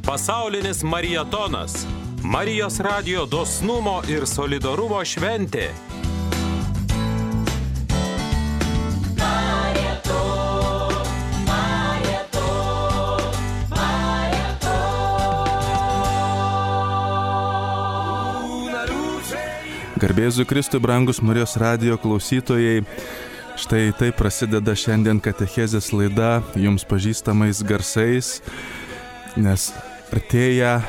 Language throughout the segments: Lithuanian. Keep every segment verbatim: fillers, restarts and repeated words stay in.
Pasaulinis marietonas. Marijos radijo dosnumo ir solidarumo šventė. Garbėzu Kristui, brangus Marijos radijo klausytojai, štai taip prasideda šiandien katechezės laida jums pažįstamais garsais, nes artėja,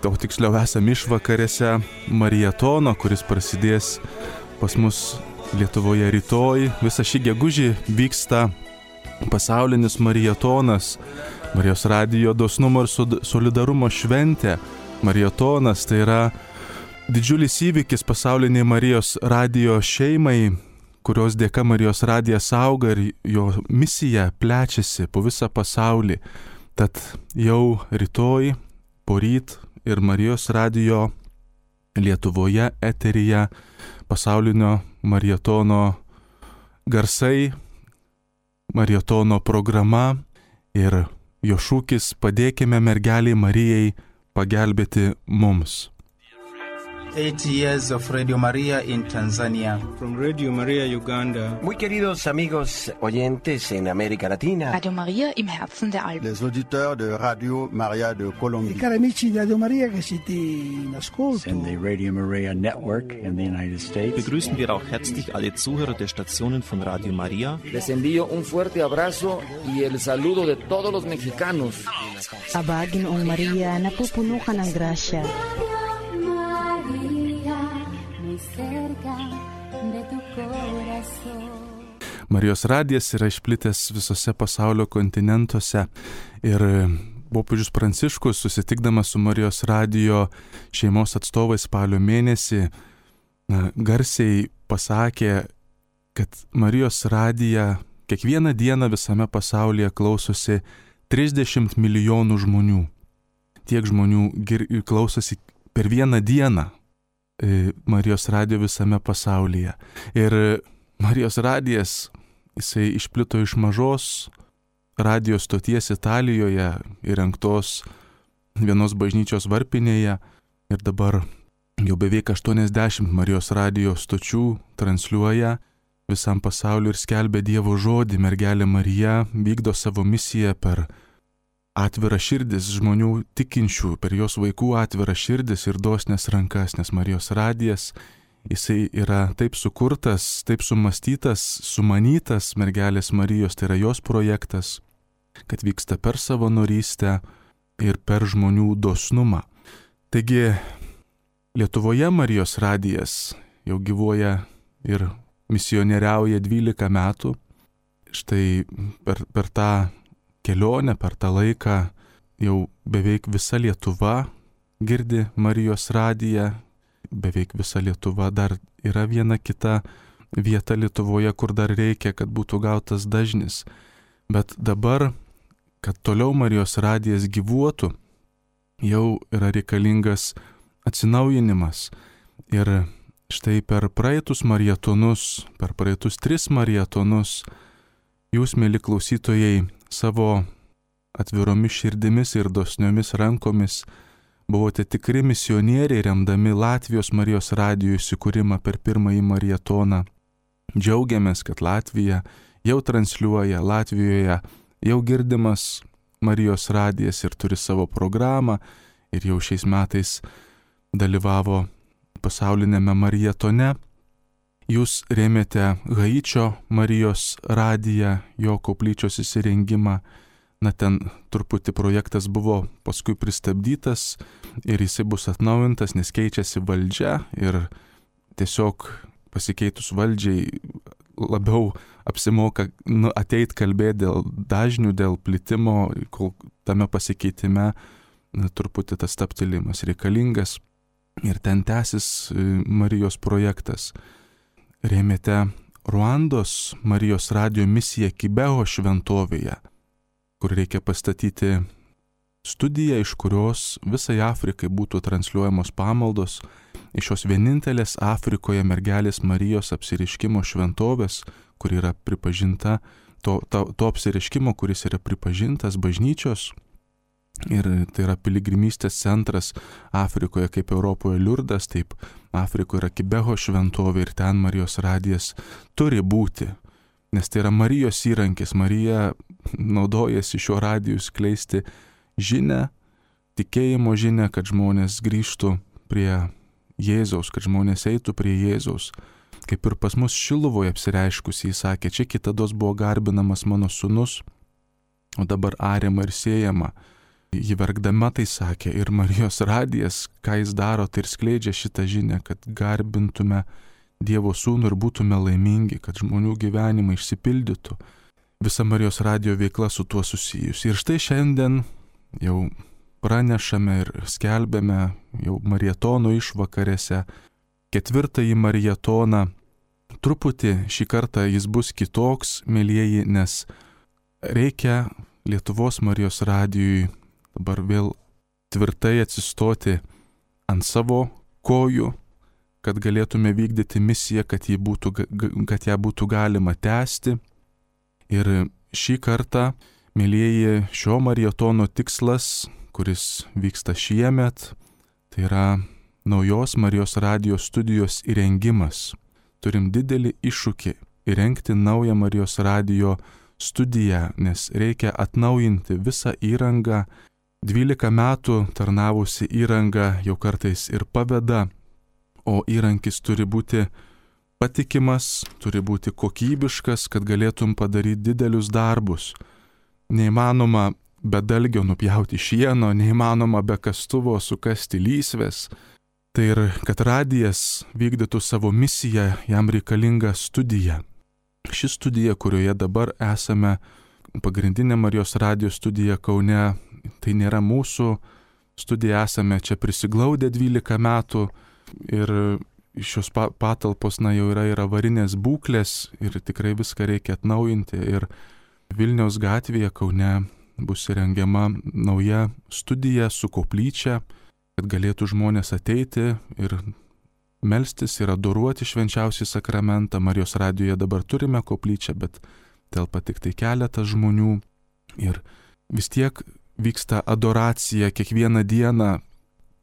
o tiksliau esam išvakarėse marietono, kuris prasidės pas mus Lietuvoje rytoj. Visą šį gegužį vyksta pasaulinis marietonas, Marijos radijo dosnumo ir solidarumo šventė. Marietonas tai yra didžiulis įvykis pasauliniai Marijos radijo šeimai, kurios dėka Marijos radijas auga ir jo misija plečiasi po visą pasaulį. Tad jau rytoj, poryt ir Marijos radijo Lietuvoje eteryje pasaulinio marietono garsai, marietono programa ir jo šūkis "Padėkime mergelei Marijai pagelbėti mums". Eight years of Radio Maria in Tanzania. From Radio Maria Uganda. Muy queridos amigos oyentes en América Latina. Radio Maria im Herzen der Alpen. Les auditeurs de Radio Maria de Colombie. I cari amici di Radio Maria che siete in ascolto. And the Radio Maria Network in the United States. Begrüßen wir auch herzlich alle Zuhörer der Stationen von Radio Maria. Les envío un fuerte abrazo y el saludo de todos los mexicanos. Abagin ang Maria napupuno ka ng grasya. Marijos radijas yra išplitęs visose pasaulio kontinentuose ir popiežius Pranciškus, susitikdamas su Marijos radijo šeimos atstovais spalio mėnesį, garsiai pasakė, kad Marijos radiją kiekvieną dieną visame pasaulyje klausosi trisdešimt milijonų žmonių. Tiek žmonių gir- klausosi per vieną dieną Marijos radijo visame pasaulyje. Ir Marijos radijas, jisai išplito iš mažos radijo stoties Italijoje, įrengtos vienos bažnyčios varpinėje, ir dabar jau beveik aštuoniasdešimt Marijos radijo stočių transliuoja visam pasauliu ir skelbia Dievo žodį. Mergelė Marija vykdo savo misiją per atvirą širdis žmonių tikinčių, per jos vaikų atvirą širdis ir dosnes rankas, nes Marijos radijas, jisai yra taip sukurtas, taip sumastytas, sumanytas mergelės Marijos, tai yra jos projektas, kad vyksta per savanorystę ir per žmonių dosnumą. Taigi Lietuvoje Marijos radijas jau gyvuoja ir misionieriauja dvylika metų. Štai per, per tą kelionę, per tą laiką jau beveik visa Lietuva girdi Marijos radiją, beveik visa Lietuva. Dar yra viena kita vieta Lietuvoje, kur dar reikia, kad būtų gautas dažnis. Bet dabar, kad toliau Marijos radijas gyvuotų, jau yra reikalingas atsinaujinimas. Ir štai per praeitus marietonus, per praeitus tris marietonus, jūs, mėly klausytojai, savo atviromis širdimis ir dosniomis rankomis buvote tikri misionieriai, remdami Latvijos Marijos radijo įsikūrimą per pirmąjį marietoną. Džiaugiamės, kad Latvija jau transliuoja, Latvijoje jau girdimas Marijos radijas ir turi savo programą, ir jau šiais metais dalyvavo pasaulinėme marietone. Jūs rėmėte Haičio Marijos radiją, jo koplyčios įsirengimą. Na, ten truputį projektas buvo paskui pristabdytas ir jisai bus atnaujintas, nes keičiasi valdžia ir tiesiog pasikeitus valdžiai labiau apsimoka nu, ateit kalbėti dėl dažnių, dėl plitimo, kol tame pasikeitime na, truputį tas stabtelimas reikalingas ir ten tęsis Marijos projektas. Rėmėte Ruandos Marijos radijo misiją Kibeho šventovėje, kur reikia pastatyti studiją, iš kurios visai Afrikai būtų transliuojamos pamaldos, iš šios vienintelės Afrikoje mergelės Marijos apsireiškimo šventovės, kur yra pripažinta, to, to, to apsireiškimo, kuris yra pripažintas bažnyčios, Ir tai yra piligrimystės centras Afrikoje, kaip Europoje Liurdas, taip Afrikoje yra Kibeho šventovė ir ten Marijos radijas turi būti. Nes tai yra Marijos įrankis. Marija naudojasi šiuo radiju skleisti žinią, tikėjimo žinią, kad žmonės grįžtų prie Jėzaus, kad žmonės eitų prie Jėzaus. Kaip ir pas mus Šiluvoje apsireiškus, jis sakė, čia kitados buvo garbinamas mano sūnus, o dabar ariama ir siejama. Ji verkdama tai sakė, ir Marijos radijas, ką jis daro, tai ir skleidžia šitą žinią, kad garbintume Dievo sūnų ir būtume laimingi, kad žmonių gyvenimai išsipildytų. Visa Marijos radijo veikla su tuo susijusi. Ir štai šiandien jau pranešame ir skelbėme jau marietono išvakarėse ketvirtąjį marietoną. Truputį šį kartą jis bus kitoks, mėlyjeji, nes reikia Lietuvos Marijos radijui dabar vėl tvirtai atsistoti ant savo kojų, kad galėtume vykdyti misiją, kad, būtų, kad ją būtų galima tęsti. Ir šį kartą, mėlyjeji, šio marietono tikslas, kuris vyksta šiemet, tai yra naujos Marijos radijo studijos įrengimas. Turim didelį iššūkį įrengti naują Marijos radijo studiją, nes reikia atnaujinti visą įrangą. dvylika metų tarnavusi įranga jau kartais ir paveda, o įrankis turi būti patikimas, turi būti kokybiškas, kad galėtum padaryti didelius darbus. Neįmanoma be dalgio nupjauti šieno, neįmanoma be kastuvo sukasti lysvės. Tai ir kad radijas vykdytų savo misiją, jam reikalinga studija. Ši studija, kurioje dabar esame, pagrindinė Marijos radijo studija Kaune, tai nėra mūsų studija, esame čia prisiglaudę dvylika metų ir šios patalpos na, jau yra ir avarinės būklės ir tikrai viską reikia atnaujinti. Ir Vilniaus gatvėje Kaune bus įrengiama nauja studija su koplyčia, kad galėtų žmonės ateiti ir melstis ir adoruoti švenčiausią sakramentą. Marijos radijoje dabar turime koplyčią, bet telpa tik tai keletas žmonių. Ir vis tiek vyksta adoracija kiekvieną dieną,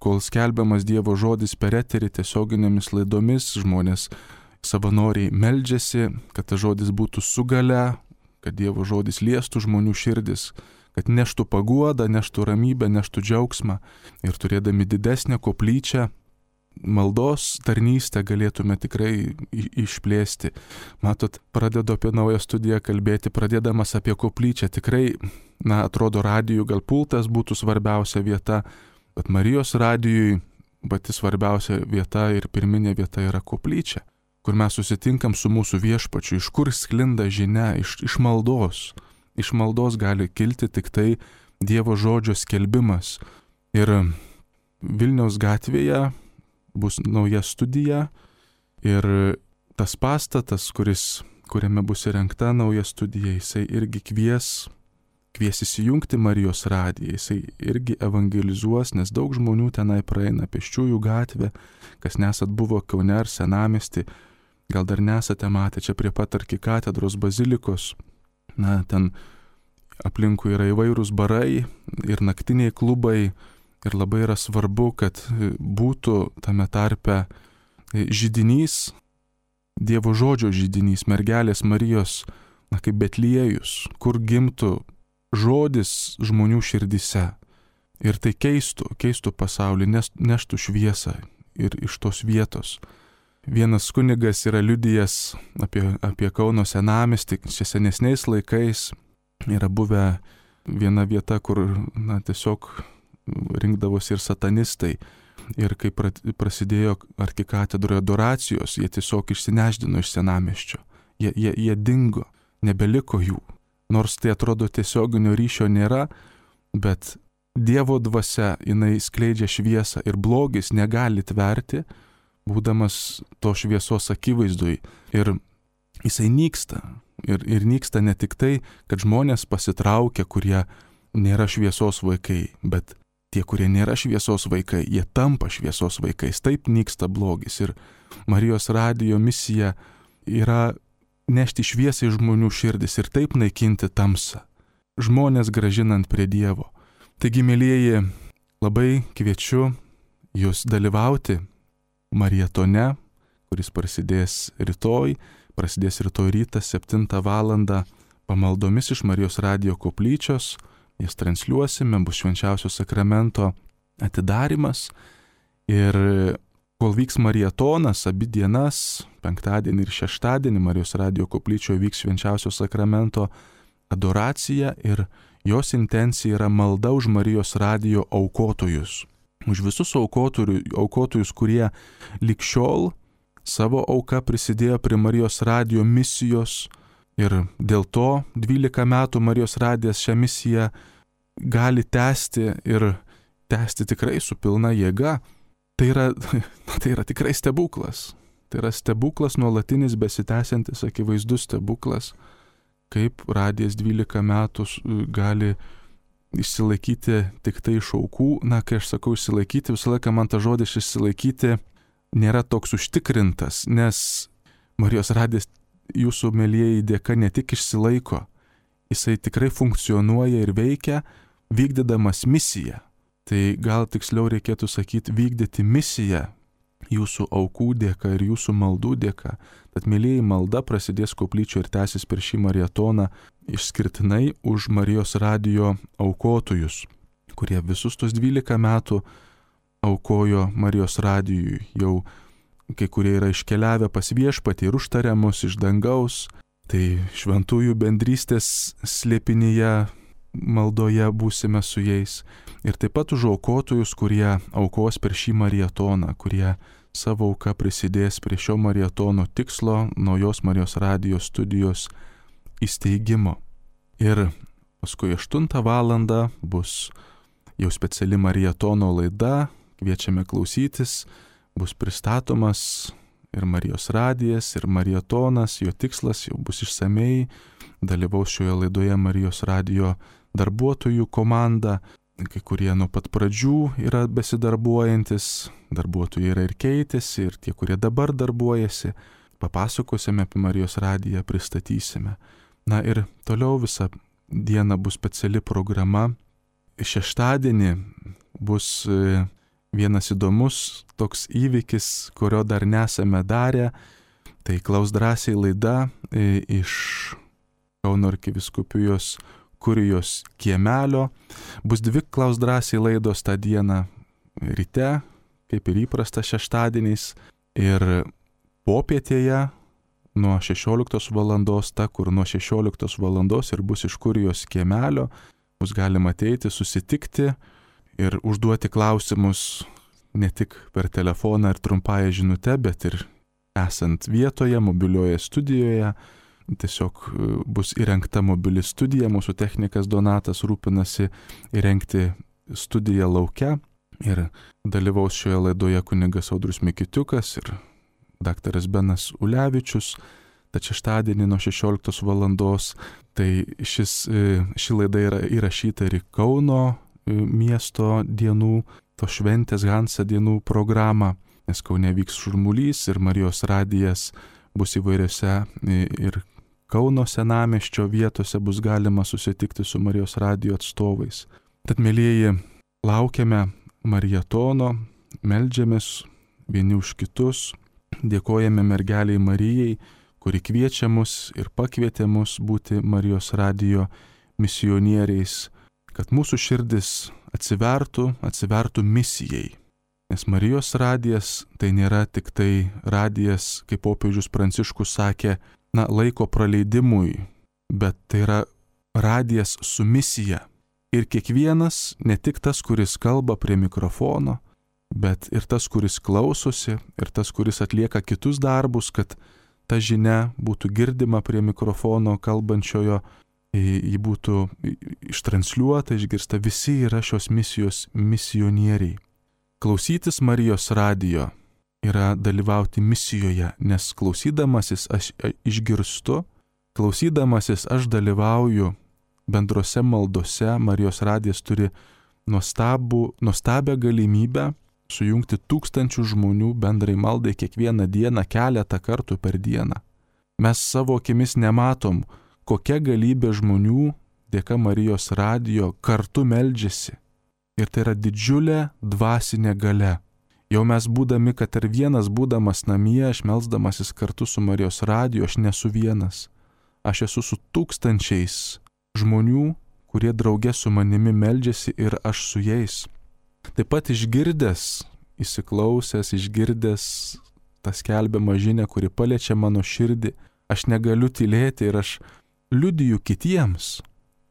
kol skelbiamas Dievo žodis per eterį tiesioginėmis laidomis. Žmonės savanoriai meldžiasi, kad tas žodis būtų su gale, kad Dievo žodis liestų žmonių širdis, kad neštų paguodą, neštų ramybę, neštų džiaugsmą. Ir turėdami didesnę koplyčią, maldos tarnystę galėtume tikrai išplėsti. Matot, pradedu apie naują studiją kalbėti, pradėdamas apie koplyčią. Tikrai, na, atrodo, radijų gal pultas būtų svarbiausia vieta, bet Marijos radijui pati svarbiausia vieta ir pirminė vieta yra koplyčia, kur mes susitinkam su mūsų viešpačiu, iš kur sklinda žinia, iš, iš maldos. Iš maldos gali kilti tik tai Dievo žodžio skelbimas. Ir Vilniaus gatvėje bus nauja studija ir tas pastatas, kuris, kuriame bus įrengta nauja studija, jisai irgi kvies, kvies įsijungti Marijos radiją, jisai irgi evangelizuos, nes daug žmonių tenai praeina pėsčiųjų gatvę, kas nesat buvo Kaune ar Senamiesty, gal dar nesate matę čia prie pat arkikatedros bazilikos, na, ten aplinkui yra įvairūs barai ir naktiniai klubai. Ir labai yra svarbu, kad būtų tame tarpe židinys, Dievo žodžio židinys, mergelės Marijos, na, kaip Betliejus, kur gimtų žodis žmonių širdise. Ir tai keistų, keistų pasaulį, neštų šviesą ir iš tos vietos. Vienas kunigas yra liudijęs apie, apie Kauno Senamiestį, čia senesniais laikais yra buvę viena vieta, kur, na, tiesiog rinkdavosi ir satanistai. Ir kai prasidėjo arkikatedroje adoracijos, jie tiesiog išsineždino iš Senamiesčio. Jie, jie, jie dingo, nebeliko jų. Nors tai atrodo tiesioginio ryšio nėra, bet Dievo dvasia, jinai skleidžia šviesą ir blogis negali tverti, būdamas to šviesos akivaizdui. Ir jisai nyksta. Ir, ir nyksta ne tik tai, kad žmonės pasitraukia, kurie nėra šviesos vaikai, bet tie, kurie nėra šviesos vaikai, jie tampa šviesos vaikais. Taip nyksta blogis. Ir Marijos radijo misija yra nešti šviesą į žmonių širdis ir taip naikinti tamsą. Žmonės gražinant prie Dievo. Taigi, mėlyjeji, labai kviečiu jūs dalyvauti marietone, kuris prasidės rytoj, prasidės rytoj rytą septintą valandą pamaldomis iš Marijos radijo koplyčios. Jas transliuosime, bus švenčiausio sakramento atidarimas. Ir kol vyks marietonas, abi dienas, penktadienį ir šeštadienį, Marijos radijo koplyčioje vyks švenčiausio sakramento adoracija ir jos intencija yra malda už Marijos radijo aukotojus. Už visus aukotojus, kurie lig šiol savo auka prisidėjo prie Marijos radijo misijos. Ir dėl to dvylika metų Marijos radijas šią misiją gali tęsti ir tęsti tikrai su pilna jėga. Tai yra, tai yra tikrai stebuklas. Tai yra stebuklas nuolatinis, besitęsiantis, akivaizdus stebuklas, kaip radijas dvylika metų gali išsilaikyti tik tai iš aukų. Na, kai aš sakau išsilaikyti, visą laiką man ta žodis išsilaikyti nėra toks užtikrintas, nes Marijos radijas jūsų mėlyjeji dėka ne tik išsilaiko, jisai tikrai funkcionuoja ir veikia, vykdydamas misiją. Tai gal tiksliau reikėtų sakyti vykdyti misiją jūsų aukų dėka ir jūsų maldų dėka. Tad mėlyjeji, malda prasidės koplyčioje ir tęsis per šį marietoną išskirtinai už Marijos radijo aukotojus, kurie visus tos dvylika metų aukojo Marijos radijui. Jau kai kurie yra iškeliavę pas viešpatį ir užtarė mus iš dangaus, tai šventųjų bendrystės slėpinyje maldoje būsime su jais. Ir taip pat už aukotojus, kurie aukos per šį marietoną, kurie savo auka prisidės prie šio marietono tikslo, naujos Marijos radijo studijos įsteigimo. Ir paskui aštuntą valandą bus jau speciali marietono laida, kviečiame klausytis. Bus pristatomas ir Marijos radijas, ir marietonas, jo tikslas jau bus išsamei, dalyvaus šioje laidoje Marijos radijo darbuotojų komanda, kai kurie nuo pat pradžių yra besidarbuojantis, darbuotojai yra ir keitėsi, ir tie, kurie dabar darbuojasi, papasakosime apie Marijos radiją, pristatysime. Na ir toliau visą dieną bus speciali programa. Šeštadienį bus vienas įdomus toks įvykis, kurio dar nesame darę. Tai Klaus drąsiai laida iš Kauno arkivyskupijos kurijos kiemelio. Bus dvi Klaus drąsiai laidos tą dieną ryte, kaip ir įprasta šeštadieniais. Ir popietėje nuo šešioliktos valandos, ta, kur nuo šešioliktos valandos ir bus iš kurijos kiemelio, bus galima ateiti, susitikti ir užduoti klausimus ne tik per telefoną ir trumpąją žinutę, bet ir esant vietoje, mobilioje studijoje. Tiesiog bus įrengta mobili studija, mūsų technikas Donatas rūpinasi įrengti studiją lauke. Ir dalyvaus šioje laidoje kunigas Audrius Mikitiukas ir daktaras Benas Ulevičius. Tad šeštadienį nuo šešioliktos valandos. Tai šis, ši laida yra įrašyta ir į Kauno miesto dienų, to šventės Hansa dienų programą, nes Kaune vyks šurmulys ir Marijos radijas bus įvairiose ir Kauno senamiesčio vietose bus galima susitikti su Marijos radijo atstovais. Tad, mėlyjeji, laukiame marietono, meldžiamės vieni už kitus, dėkojame mergeliai Marijai, kuri kviečia mus ir pakvietė mus būti Marijos radijo misionieriais, kad mūsų širdis atsivertų, atsivertų misijai. Nes Marijos radijas tai nėra tik tai radijas, kaip popiežius Pranciškus sakė, na, laiko praleidimui, bet tai yra radijas su misija. Ir kiekvienas, ne tik tas, kuris kalba prie mikrofono, bet ir tas, kuris klausosi, ir tas, kuris atlieka kitus darbus, kad ta žinia būtų girdima prie mikrofono kalbančiojo, ji būtų ištransliuota, išgirsta, visi yra šios misijos misionieriai. Klausytis Marijos radijo yra dalyvauti misijoje, nes klausydamasis aš išgirstu, klausydamasis aš dalyvauju bendrose maldose. Marijos radijas turi nuostabų, nuostabią galimybę sujungti tūkstančių žmonių bendrai maldai kiekvieną dieną, keletą kartų per dieną. Mes savo akimis nematom, kokia galybė žmonių dėka Marijos radijo kartu meldžiasi. Ir tai yra didžiulė dvasinė galia. Jau mes būdami, kad ir vienas būdamas namie, aš melsdamasis kartu su Marijos radiju, aš nesu vienas. Aš esu su tūkstančiais žmonių, kurie drauge su manimi meldžiasi ir aš su jais. Taip pat išgirdęs, įsiklausęs, išgirdęs tą skelbiamą žinią, kuri paliečia mano širdį, aš negaliu tylėti ir aš liudiju kitiems,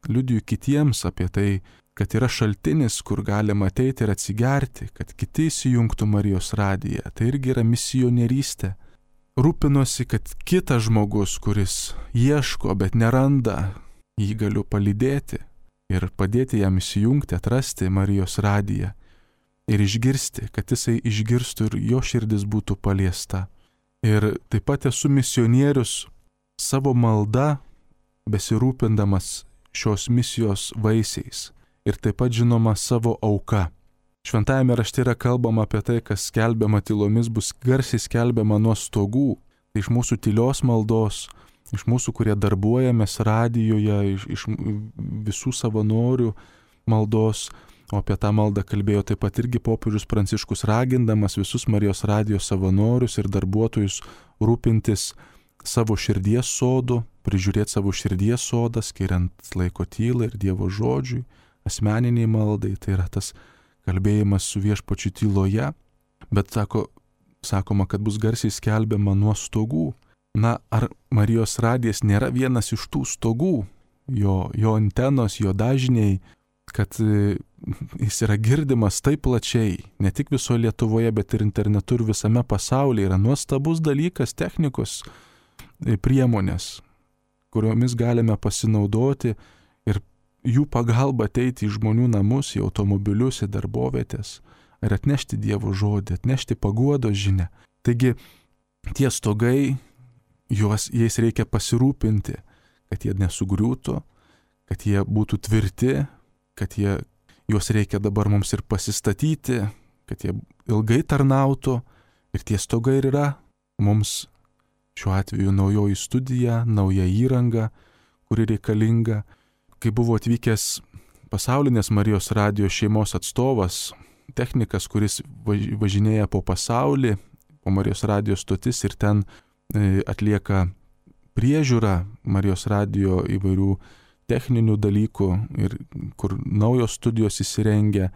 liudiju kitiems apie tai, kad yra šaltinis, kur galima ateiti ir atsigerti, kad kiti įsijungtų Marijos radiją. Tai irgi yra misionierystė. Rūpinosi, kad kitas žmogus, kuris ieško, bet neranda, jį galiu palydėti ir padėti jam įsijungti, atrasti Marijos radiją ir išgirsti, kad jisai išgirstų ir jo širdis būtų paliesta. Ir taip pat esu misionierius savo malda, besirūpindamas šios misijos vaisiais. Ir taip pat žinoma savo auka. Šventajame rašte yra kalbama apie tai, kas skelbiama tylomis, bus garsiai skelbiama nuo stogų. Tai iš mūsų tylios maldos, iš mūsų, kurie darbuojamės radijoje, iš, iš visų savanorių maldos, o apie tą maldą kalbėjo taip pat irgi popiežius Pranciškus, ragindamas visus Marijos radijos savanorius ir darbuotojus rūpintis savo širdies sodu, prižiūrėti savo širdies sodą, skiriant laiko tylai ir Dievo žodžiui, asmeniniai maldai, tai yra tas kalbėjimas su Viešpačiu tyloje, bet sako, sakoma, kad bus garsiai skelbiama nuo stogų. Na, ar Marijos radijas nėra vienas iš tų stogų, jo, jo antenos, jo dažniai, kad jis yra girdimas taip plačiai, ne tik visoje Lietuvoje, bet ir internetu ir visame pasaulyje, yra nuostabus dalykas, technikos priemonės, kuriomis galime pasinaudoti ir jų pagalba ateiti į žmonių namus, į automobilius, į darbovietės ir atnešti Dievo žodį, atnešti paguodos žinią. Taigi tie stogai, juos, jais reikia pasirūpinti, kad jie nesugriūtų, kad jie būtų tvirti, kad jie, juos reikia dabar mums ir pasistatyti, kad jie ilgai tarnautų ir tie stogai ir yra mums šiuo atveju naujoji studija, nauja įranga, kuri reikalinga. Kai buvo atvykęs pasaulinės Marijos radijos šeimos atstovas, technikas, kuris važinėja po pasaulį, po Marijos radijos stotis ir ten atlieka priežiūrą Marijos radijo įvairių techninių dalykų ir kur naujos studijos įsirengia,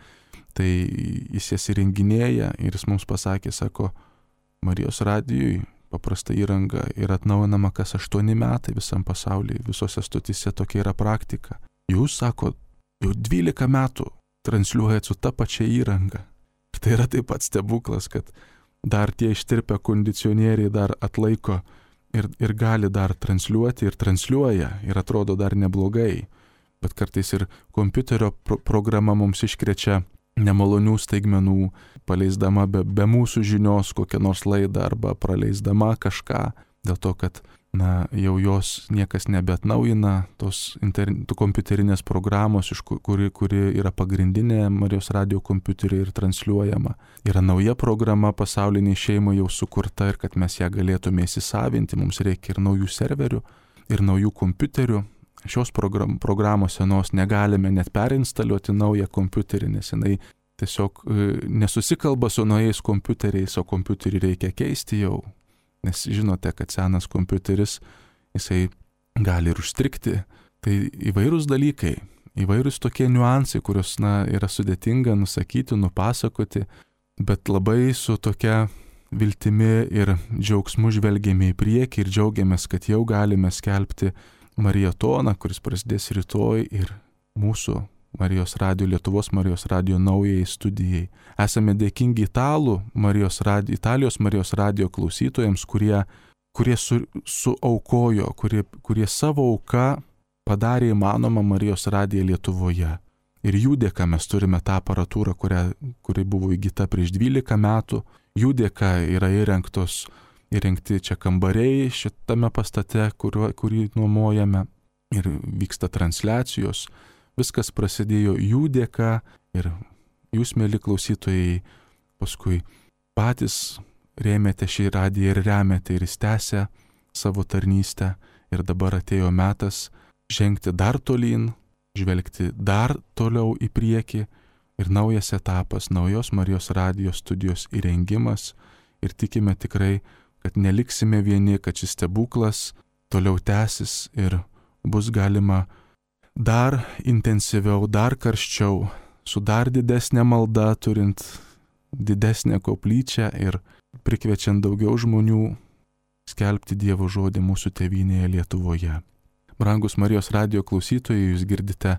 tai jis jas įrenginėja ir jis mums pasakė, sako, Marijos radijui paprasta įranga yra atnaujinama kas aštuoni metai visam pasaulyje, visose stotise tokia yra praktika. Jūs, sako, jau dvylika metų transliuojat su ta pačia įranga. Ir tai yra taip pat stebuklas, kad dar tie ištirpę kondicionieriai dar atlaiko ir, ir gali dar transliuoti ir transliuoja ir atrodo dar neblogai. Bet kartais ir kompiuterio pro- programa mums iškrečia nemalonių staigmenų, paleisdama be, be mūsų žinios kokią nors laidą arba praleisdama kažką, dėl to, kad na, jau jos niekas nebeatnaujina, tos inter, kompiuterinės programos, iš kuri, kuri yra pagrindinė Marijos radijo kompiuteriai ir transliuojama. Yra nauja programa pasauliniai šeimai jau sukurta ir kad mes ją galėtume įsisavinti, mums reikia ir naujų serverių, ir naujų kompiuterių. Šios program, programos senos negalime net perinstaliuoti naują kompiuterį, nes jinai tiesiog e, nesusikalba su naujais kompiuteriais, o kompiuterį reikia keisti jau. Nes žinote, kad senas kompiuteris, jisai gali ir užstrigti. Tai įvairūs dalykai, įvairūs tokie niuansai, kuriuos na, yra sudėtinga nusakyti, nupasakoti, bet labai su tokia viltimi ir džiaugsmu žvelgiame į priekį ir džiaugiamės, kad jau galime skelbti Mariatoną, kuris prasidės rytoj ir mūsų Marijos radijo, Lietuvos Marijos radijo naujai studijai. Esame dėkingi Italų Marijos radijo, Italijos Marijos radijo klausytojams, kurie, kurie su, suaukojo, kurie, kurie savo auką padarė įmanomą Marijos radiją Lietuvoje. Ir jų dėka mes turime tą aparatūrą, kurią, kuri buvo įgyta prieš dvylika metų. Jų dėka yra įrengtos įrengti čia kambariai šitame pastate, kurio, kurį nuomojame ir vyksta transliacijos. Viskas prasidėjo jų dėka ir jūs, mėly klausytojai, paskui patys rėmėte šį radiją ir remiate ir jis tęsia savo tarnystę ir dabar atėjo metas žengti dar tolyn, žvelgti dar toliau į priekį, ir naujas etapas, naujos Marijos radijos studijos įrengimas ir tikime tikrai, kad neliksime vieni, kad šis stebuklas toliau tęsis ir bus galima dar intensyviau, dar karščiau, su dar didesnė malda, turint didesnę koplyčią ir prikviečiant daugiau žmonių skelbti Dievo žodį mūsų tėvynėje Lietuvoje. Brangus Marijos radijo klausytojai, jūs girdite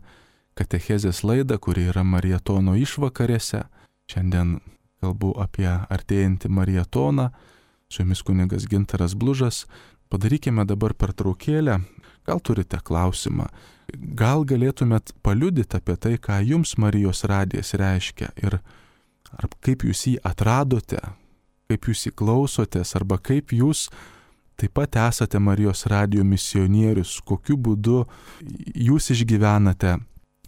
katechezės laidą, kuri yra Marietono išvakarėse. Šiandien kalbu apie artėjantį Marietoną, su jumis kunigas Gintaras Blužas. Padarykime dabar pertraukėlę. Gal turite klausimą? Gal galėtumėt paliudyti apie tai, ką jums Marijos radijas reiškia ir ar kaip jūs jį atradote, kaip jūs jį klausotės, arba kaip jūs taip pat esate Marijos radijo misionierius, kokiu būdu jūs išgyvenate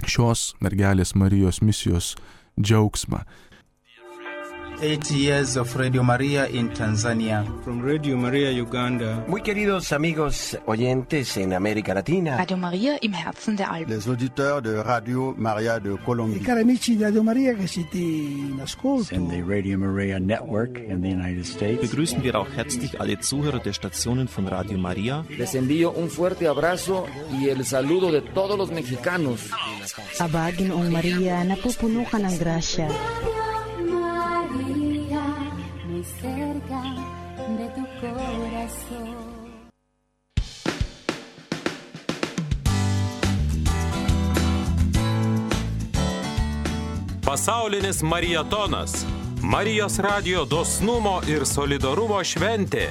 šios mergelės Marijos misijos džiaugsmą. Eight years of Radio Maria in Tanzania. From Radio Maria Uganda. Muy queridos amigos oyentes en América Latina. Radio Maria im Herzen der Alpen. Les auditeurs de Radio Maria de Colombie. I cari amici di Radio Maria che siete in ascolto. And the Radio Maria Network in the United States. Begrüßen wir auch herzlich alle Zuhörer der Stationen von Radio Maria. Les envío un fuerte abrazo y el saludo de todos los mexicanos. Aba, Ginoong Maria, napupuno ka ng grasya. Cerca de tu corazón. Pasaulinis Marietonas. Marijos radijo dosnumo ir solidarumo šventė.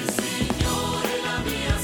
Signore la mia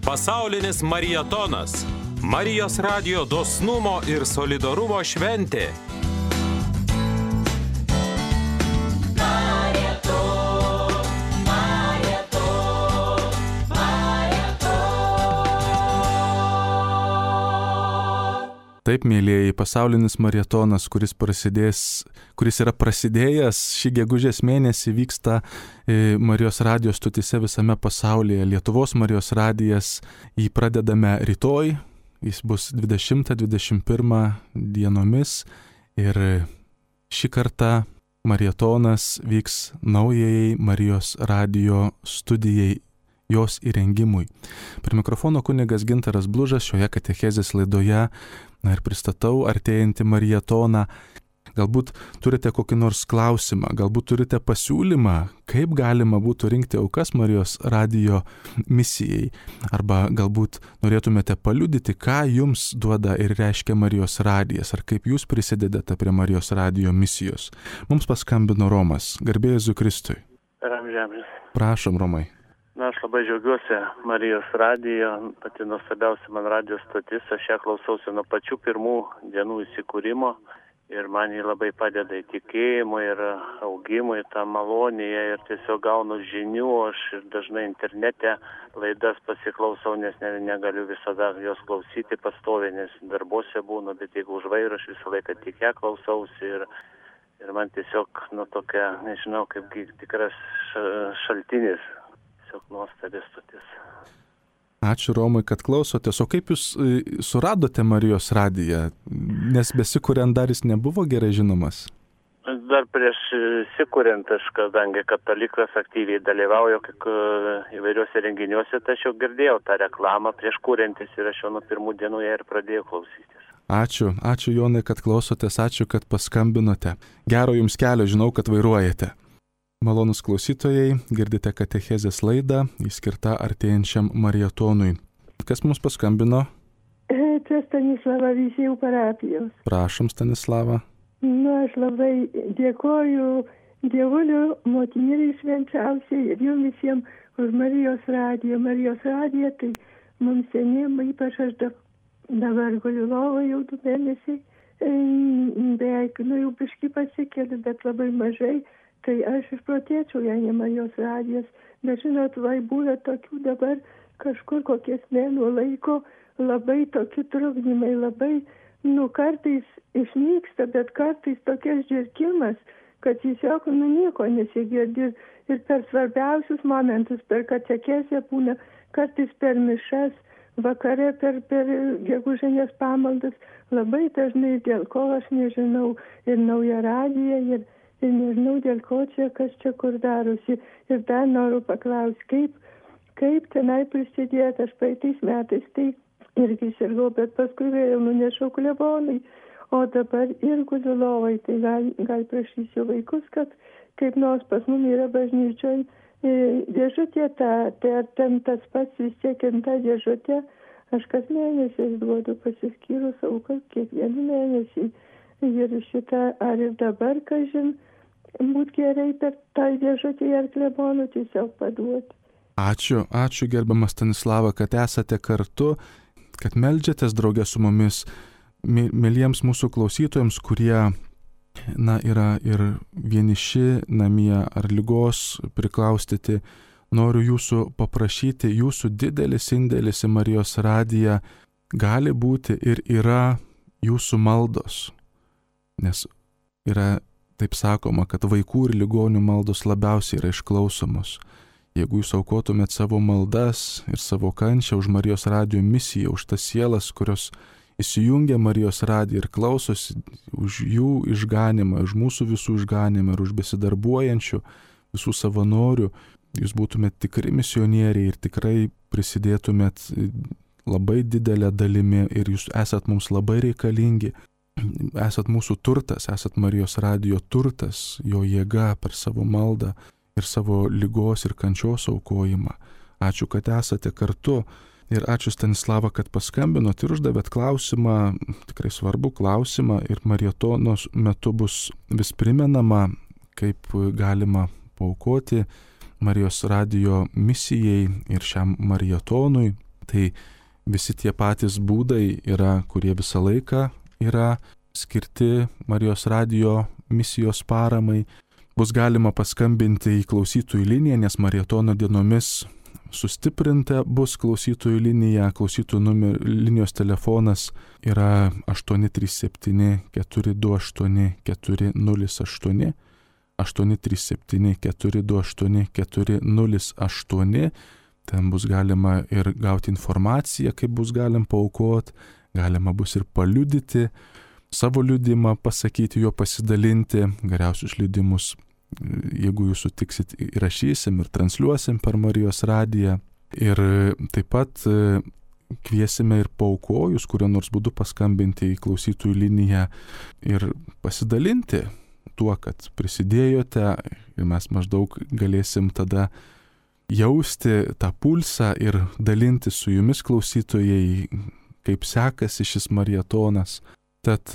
Pasaulinis marietonas. Marijos radijo dosnumo ir solidarumo šventė. Taip, mėlyjeji, pasaulinis marietonas, kuris prasidės, kuris yra prasidėjęs šį gegužės mėnesį, vyksta Marijos radijos stotyse visame pasaulyje. Lietuvos Marijos radijas jį pradedame rytoj, jis bus dvidešimtą dvidešimt pirmą dienomis ir šį kartą marietonas vyks naujai Marijos radijo studijai, jos įrengimui. Prie mikrofono kunigas Gintaras Blužas šioje katechezės laidoje, na ir pristatau artėjantį marietoną. Galbūt turite kokį nors klausimą, galbūt turite pasiūlymą, kaip galima būtų rinkti aukas Marijos radijo misijai, arba galbūt norėtumėte paliudyti, ką jums duoda ir reiškia Marijos radijas, ar kaip jūs prisidedate prie Marijos radijo misijos. Mums paskambino Romas. Garbė Jėzui Kristui. Ramžėmis. Prašom, Romai. Na, aš labai džiaugiuosi Marijos radijo, pati nuostabiausia man radijos stotis, aš ją klausausi nuo pačių pirmų dienų įsikūrimo ir man jį labai padeda į tikėjimą ir augimą, į tą malonėje ir tiesiog gaunu žinių, aš dažnai internete laidas pasiklausau, nes ne, negaliu visada jos klausyti pastoviai, nes darbuose būnu, bet jeigu už vairo aš visą laiką tik ją klausausi ir, ir man tiesiog, nu, tokia, nežinau, kaip tikras šaltinis. Tiesiog nuostabi stotis. Ačiū, Romai, kad klausotės. O kaip jūs suradote Marijos radiją? Nes besikuriant dar jis nebuvo gerai žinomas. Dar prieš įsikuriant, aš kadangi katalikas aktyviai dalyvauju įvairiuose renginiuose, tai aš jau girdėjau tą reklamą prieš kuriantis ir aš jau nuo pirmų dienų ją ir pradėjau klausytis. Ačiū, ačiū Jonai, kad klausotės, ačiū, kad paskambinote. Gero jums kelio, žinau, kad vairuojate. Malonus klausytojai, girdite katechezės laidą, įskirta artėjančiam marietonui. Kas mums paskambino? Čia Stanislava Veisiejų parapijos. Prašom, Stanislava. Na, aš labai dėkoju Dievuliu, motinėlei švenčiausiai ir jums visiems už Marijos radiją. Marijos radija, tai mums seniem, ypač aš dabar guliu lovoje jau du mėnesiai, beveik, nu jau biškį pasikeliu, bet labai mažai. Tai aš išprotėčiau, jei ne Marijos radijas, bet žinot, vai būna tokių dabar kažkur kokies mėnų laiko, labai tokie trukdymai, labai, nu, kartais išnyksta, bet kartais tokias žirkimas, kad tiesiog, nu, nieko nesigirdi ir per svarbiausius momentus, per katekezę būna, kartais per mišas, vakare per, per gegužinės pamaldas, labai dažnai dėl ko aš nežinau, ir nauja radija, ir Ir nežinau, dėl ko čia, kas čia kur darosi. Ir dar noriu paklausti, kaip, kaip tenai prisidėti. Aš praeitais metais tai irgi sirgau, bet paskui vėl nunešiau klebonai. O dabar ir guliu lovai. Tai gal, gal prašysiu vaikus, kad kaip nors pas mum yra bažnyčioj dėžutė ta, tai ar ten tas pats vis tiek ta dėžutė. Aš kas mėnesiais duodu pasiskyrus aukas kiekvieną mėnesį. Ir šitą, ar ir dabar, kažin, būt gerai per tą dėžutį ar klebonų tiesiog paduoti. Ačiū, ačiū gerbiamas Stanislava, kad esate kartu, kad meldžiatės draugė su mumis, mėlyjams mūsų klausytojams, kurie, na, yra ir vieniši namie ar ligos priklaustyti. Noriu jūsų paprašyti, jūsų didelis indėlis į Marijos radiją gali būti ir yra jūsų maldos. Nes yra taip sakoma, kad vaikų ir ligonių maldos labiausiai yra išklausomos. Jeigu jūs aukotumėt savo maldas ir savo kančią už Marijos radijo misiją, už tas sielas, kurios įsijungia Marijos radiją ir klausosi, už jų išganimą, už mūsų visų išganimą ir už besidarbuojančių visų savanorių, jūs būtumėt tikri misionieriai ir tikrai prisidėtumėt labai didelę dalimi ir jūs esat mums labai reikalingi. Esat mūsų turtas, esat Marijos radijo turtas, jo jėga per savo maldą ir savo ligos ir kančios aukojimą. Ačiū, kad esate kartu ir ačiū Stanislava, kad paskambinot ir uždavėt klausimą, tikrai svarbų klausimą ir marietonos metu bus vis primenama, kaip galima paaukoti Marijos radijo misijai ir šiam marietonui. Tai visi tie patys būdai yra, kurie visą laiką yra skirti Marijos radijo misijos paramai. Bus galima paskambinti į klausytojų liniją, nes Marietono dienomis sustiprinta bus klausytojų linija. Klausytojų numer, linijos telefonas yra aštuoni trys septyni keturi du aštuoni keturi nulis aštuoni, aštuoni trys septyni keturi du aštuoni keturi nulis aštuoni. Ten bus galima ir gauti informaciją, kaip bus galim paaukoti, galima bus ir paliudyti, savo liudimą pasakyti, jo pasidalinti. Geriausius liudimus, jeigu jūs sutiksit, įrašysim ir transliuosim per Marijos radiją. Ir taip pat kviesime ir paaukojus, kurio nors būdu paskambinti į klausytojų liniją ir pasidalinti tuo, kad prisidėjote, ir mes maždaug galėsim tada jausti tą pulsą ir dalinti su jumis, klausytojai, kaip sekasi šis marietonas. Tad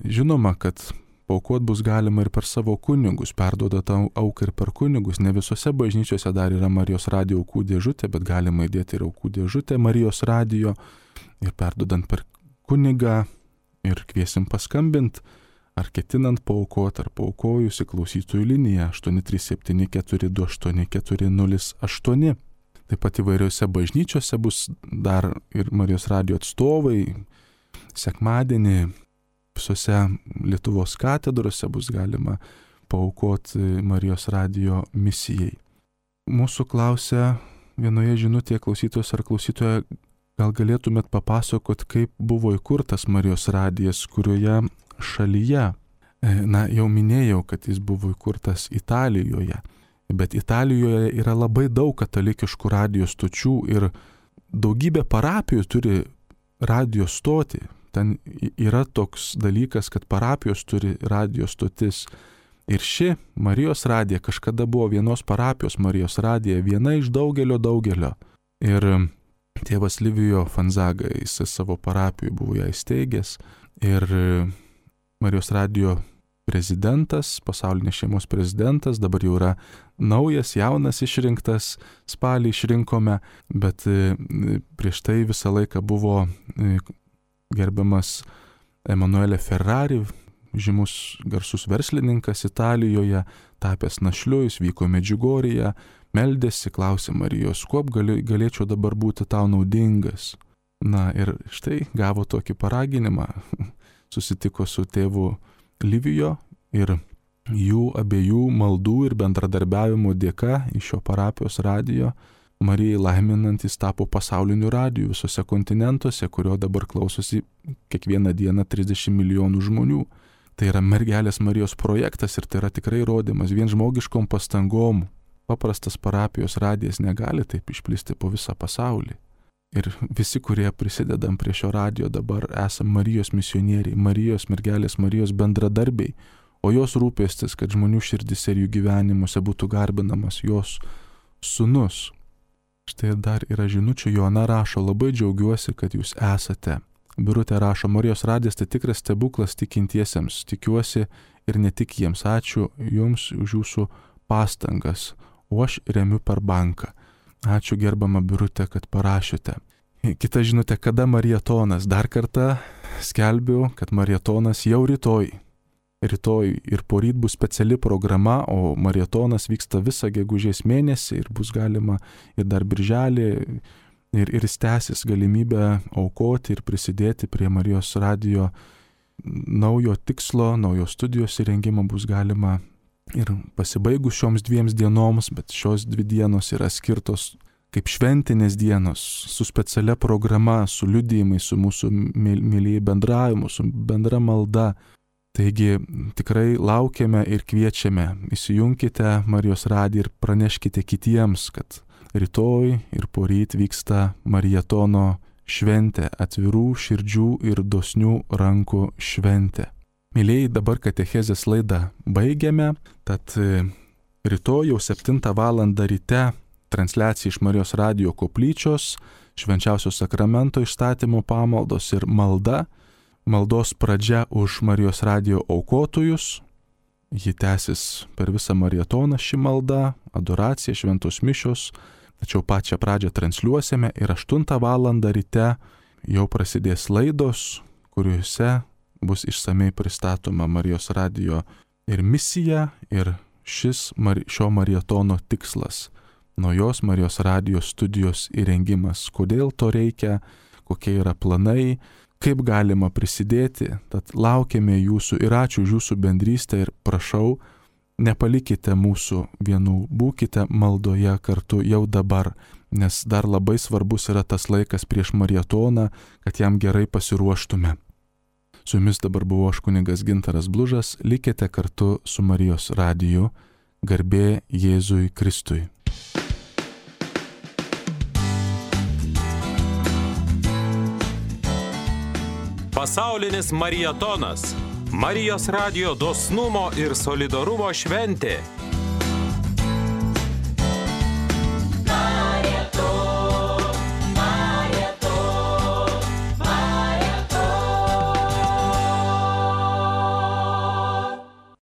žinoma, kad paaukot bus galima ir per savo kunigus, perduoda tą auką ir per kunigus. Ne visose bažnyčiose dar yra Marijos radijo aukų dėžutė, bet galima įdėti ir aukų dėžutę Marijos radijo ir perduodant per kunigą ir kviesim paskambint, ar ketinant paaukot, ar paaukojus į klausytojų liniją aštuoni trys septyni keturi du aštuoni keturi nulis aštuoni. Taip pat įvairiose bažnyčiose bus dar ir Marijos radijo atstovai. Sekmadienį visose Lietuvos katedrose bus galima paaukoti Marijos radijo misijai. Mūsų klausia vienoje žinutėje klausytojos ar klausytoja, gal galėtumėt papasakot, kaip buvo įkurtas Marijos radijas, kurioje šalyje. Na, jau minėjau, kad jis buvo įkurtas Italijoje, bet Italijoje yra labai daug katalikiškų radijo stočių ir daugybė parapijų turi radijo stotį. Ten yra toks dalykas, kad parapijos turi radijo stotis. Ir ši Marijos radija kažkada buvo vienos parapijos Marijos radija, viena iš daugelio daugelio. Ir tėvas Livijo Fanzaga, jis savo parapijų buvo ją įsteigęs. Ir Marijos radijo prezidentas, pasaulinės šeimos prezidentas, dabar jau yra naujas, jaunas išrinktas, spalį išrinkome, bet prieš tai visą laiką buvo gerbiamas Emanuele Ferrari, žymus garsus verslininkas Italijoje, tapęs našliu, jis vyko Medžiugorėje, meldėsi, klausė Marijos, kuo gali, galėčiau dabar būti tau naudingas. Na ir štai gavo tokį paraginimą, susitiko su tėvu Livijo ir jų abiejų maldų ir bendradarbiavimo dėka iš šio parapijos radijo Marijai laiminantis tapo pasauliniu radiju visose kontinentuose, kurio dabar klausosi kiekvieną dieną trisdešimt milijonų žmonių. Tai yra mergelės Marijos projektas ir tai yra tikrai įrodymas vien žmogiškom pastangom. Paprastas parapijos radijas negali taip išplisti po visą pasaulį. Ir visi, kurie prisidedam prie šio radijo, dabar esam Marijos misionieriai, Marijos mergelės Marijos bendradarbiai, o jos rūpestis, kad žmonių širdise ir jų gyvenimuose būtų garbinamas jos sūnus. Štai dar yra žinučių, Joana rašo, labai džiaugiuosi, kad jūs esate. Birutė rašo, Marijos radijas tai tikras stebuklas tikintiesiems, tikiuosi ir ne tik jiems. Ačiū jums už jūsų pastangas, o aš remiu per banką. Ačiū gerbama Birutė, kad parašėte. Kita žinutė, kada marietonas? Dar kartą skelbiu, kad marietonas jau rytoj. Rytoj ir poryt bus speciali programa, o marietonas vyksta visą gegužės mėnesį ir bus galima ir dar birželį ir, ir stęsis galimybę aukoti ir prisidėti prie Marijos radijo naujo tikslo, naujo studijos įrengimo bus galima ir pasibaigus šioms dviems dienoms, bet šios dvi dienos yra skirtos kaip šventinės dienos su specialia programa, su liudijimais, su mūsų mylėjai bendravimu, su bendra malda. Taigi tikrai laukiame ir kviečiame, įsijunkite Marijos radiją ir praneškite kitiems, kad rytoj ir poryt vyksta marietono šventė, atvirų širdžių ir dosnių rankų šventė. Mylėjai, dabar katechezės laidą baigiame, tad rytoj jau septintą valandą ryte transliacija iš Marijos radijo koplyčios, švenčiausio sakramento išstatymo pamaldos ir malda. Maldos pradžia už Marijos radijo aukotojus, ji tęsis per visą marietoną ši malda, adoracija, šventos mišios, tačiau pačią pradžią transliuosime ir aštuntą valandą ryte jau prasidės laidos, kuriuose bus išsamei pristatoma Marijos radijo ir misija, ir šis šio marietono tikslas – naujos Marijos radijo studijos įrengimas. Kodėl to reikia, kokie yra planai, kaip galima prisidėti. Tad laukiame jūsų ir ačiū už jūsų bendrystę ir prašau, nepalikite mūsų vienų, būkite maldoje kartu jau dabar, nes dar labai svarbus yra tas laikas prieš marietoną, kad jam gerai pasiruoštume. Su jumis dabar buvo aš kunigas Gintaras Blužas, likite kartu su Marijos radiju, garbė Jėzui Kristui. Pasaulinis marietonas. Marijos radijo dosnumo ir solidarumo šventė.